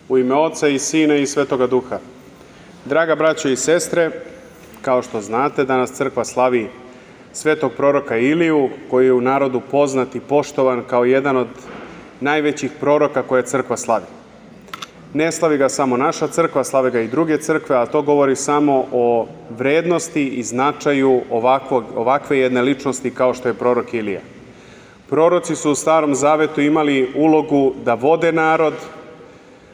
U ime Oca i Sina i Svetoga Duha. Draga braćo i sestre, kao što znate, danas crkva slavi svetog proroka Iliju, koji je u narodu poznat i poštovan kao jedan od najvećih proroka koje crkva slavi. Ne slavi ga samo naša crkva, slave ga i druge crkve, a to govori samo o vrednosti i značaju ovakve jedne ličnosti kao što je prorok Ilija. Proroci su u Starom Zavetu imali ulogu da vode narod,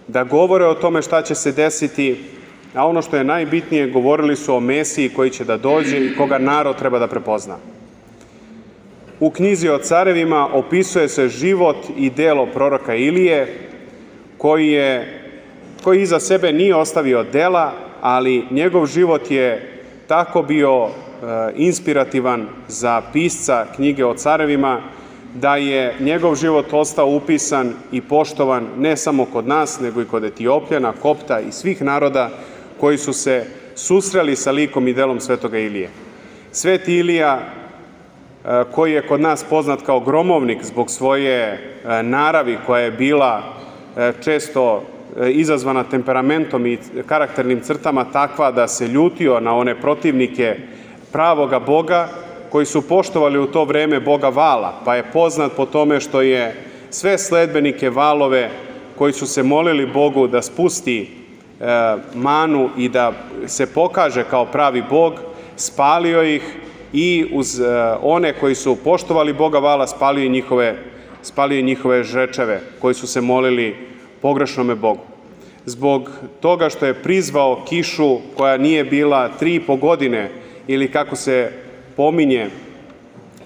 da govore o tome šta će se desiti, a ono što je najbitnije, govorili su o Mesiji koji će da dođe i koga narod treba da prepozna. U knjizi o carevima opisuje se život i delo proroka Ilije, koji iza sebe nije ostavio dela, ali njegov život je tako bio inspirativan za pisca knjige o carevima, da je njegov život ostao upisan i poštovan ne samo kod nas, nego i kod Etiopljana, Kopta i svih naroda koji su se susreli sa likom i delom svetoga Ilije. Sveti Ilija, koji je kod nas poznat kao gromovnik zbog svoje naravi koja je bila često izazvana temperamentom i karakternim crtama takva da se ljutio na one protivnike pravoga Boga, koji su poštovali u to vreme Boga Vala, pa je poznat po tome što je sve sledbenike Valove koji su se molili Bogu da spusti manu i da se pokaže kao pravi Bog, spalio ih i uz one koji su poštovali Boga Vala spalio njihove žrečeve koji su se molili pogrešnome Bogu. Zbog toga što je prizvao kišu koja nije bila 3,5 godine ili kako se pominje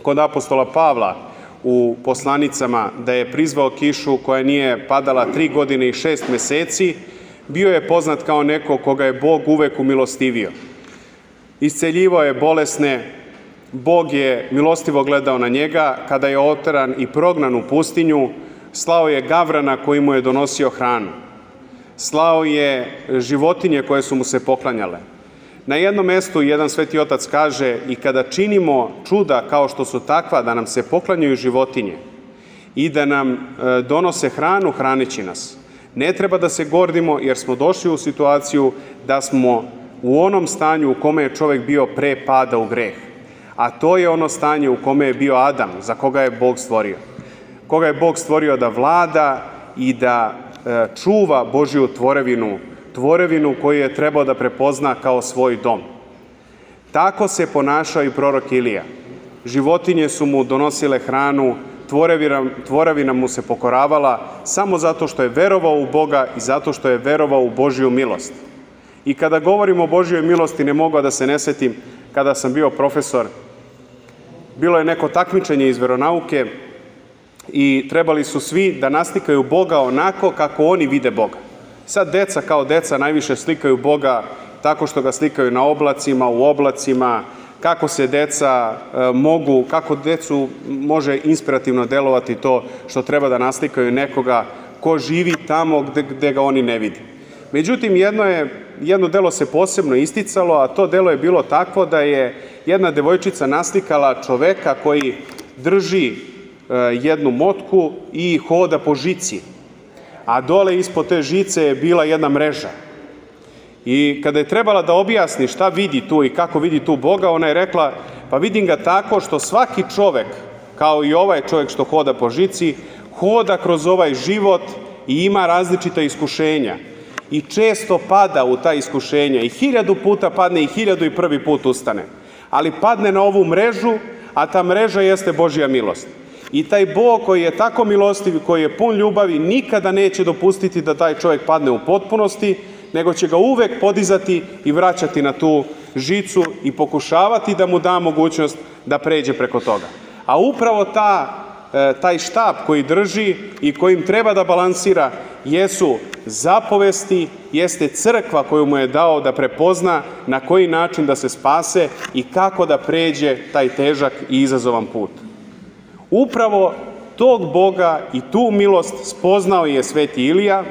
kod apostola Pavla u poslanicama da je prizvao kišu koja nije padala 3 godine i 6 meseci, bio je poznat kao neko koga je Bog uvek umilostivio. Isceljivao je bolesne, Bog je milostivo gledao na njega, kada je oteran i prognan u pustinju, slao je gavrana koji mu je donosio hranu. Slao je životinje koje su mu se poklanjale. Na jednom mestu jedan sveti otac kaže: i kada činimo čuda kao što su takva da nam se poklanjaju životinje i da nam donose hranu, hraneći nas. Ne treba da se gordimo jer smo došli u situaciju da smo u onom stanju u kome je čovjek bio pre pada u greh. A to je ono stanje u kome je bio Adam, za koga je Bog stvorio. Koga je Bog stvorio da vlada i da čuva Božju tvorevinu koju je trebao da prepozna kao svoj dom. Tako se ponašao i prorok Ilija. Životinje su mu donosile hranu, tvorevina mu se pokoravala samo zato što je verovao u Boga i zato što je verovao u Božju milost. I kada govorimo o Božjoj milosti, ne mogu da se ne setim, kada sam bio profesor, bilo je neko takmičenje iz veronauke i trebali su svi da naslikaju Boga onako kako oni vide Boga. Sad deca kao deca najviše slikaju Boga tako što ga slikaju na oblacima, u oblacima, kako decu može inspirativno delovati to što treba da naslikaju nekoga ko živi tamo gde ga oni ne vidi. Međutim, jedno delo se posebno isticalo, a to delo je bilo takvo da je jedna devojčica naslikala čoveka koji drži jednu motku i hoda po žici, a dole ispod te žice je bila jedna mreža. I kada je trebala da objasni šta vidi tu i kako vidi tu Boga, ona je rekla: pa vidim ga tako što svaki čovek, kao i ovaj čovek što hoda po žici, hoda kroz ovaj život i ima različita iskušenja. I često pada u ta iskušenja i 1000 puta padne i 1001 put ustane. Ali padne na ovu mrežu, a ta mreža jeste Božja milost. I taj Bog koji je tako milostiv, koji je pun ljubavi, nikada neće dopustiti da taj čovjek padne u potpunosti, nego će ga uvek podizati i vraćati na tu žicu i pokušavati da mu da mogućnost da pređe preko toga. A upravo taj štap koji drži i kojim treba da balansira jesu zapovesti, jeste crkva koju mu je dao da prepozna na koji način da se spase i kako da pređe taj težak i izazovan put. Upravo tog Boga i tu milost spoznao je sveti Ilija,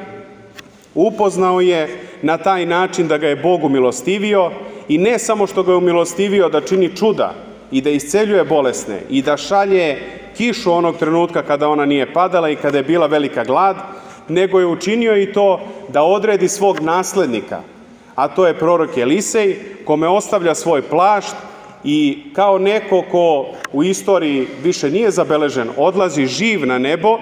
upoznao je na taj način da ga je Bog umilostivio i ne samo što ga je umilostivio da čini čuda i da isceljuje bolesne i da šalje kišu onog trenutka kada ona nije padala i kada je bila velika glad, nego je učinio i to da odredi svog naslednika, a to je prorok Elisej, kome ostavlja svoj plašt i kao neko ko u istoriji više nije zabeležen, odlazi živ na nebo.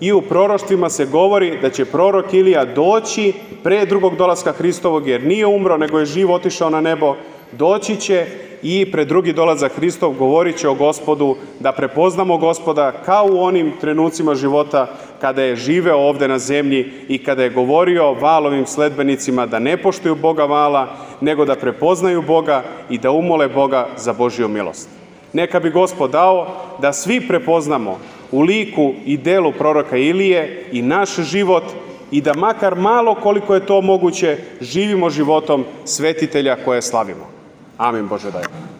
I u proroštvima se govori da će prorok Ilija doći pre drugog dolaska Hristovog, jer nije umro, nego je živ otišao na nebo. Doći će i pred drugi dolazak Hristov govorit će o Gospodu, da prepoznamo Gospoda kao u onim trenucima života kada je živeo ovde na zemlji i kada je govorio Valovim sledbenicima da ne poštuju Boga Vala, nego da prepoznaju Boga i da umole Boga za Božju milost. Neka bi Gospod dao da svi prepoznamo u liku i delu proroka Ilije i naš život i da makar malo, koliko je to moguće, živimo životom svetitelja koje slavimo. Amin, Bože daj.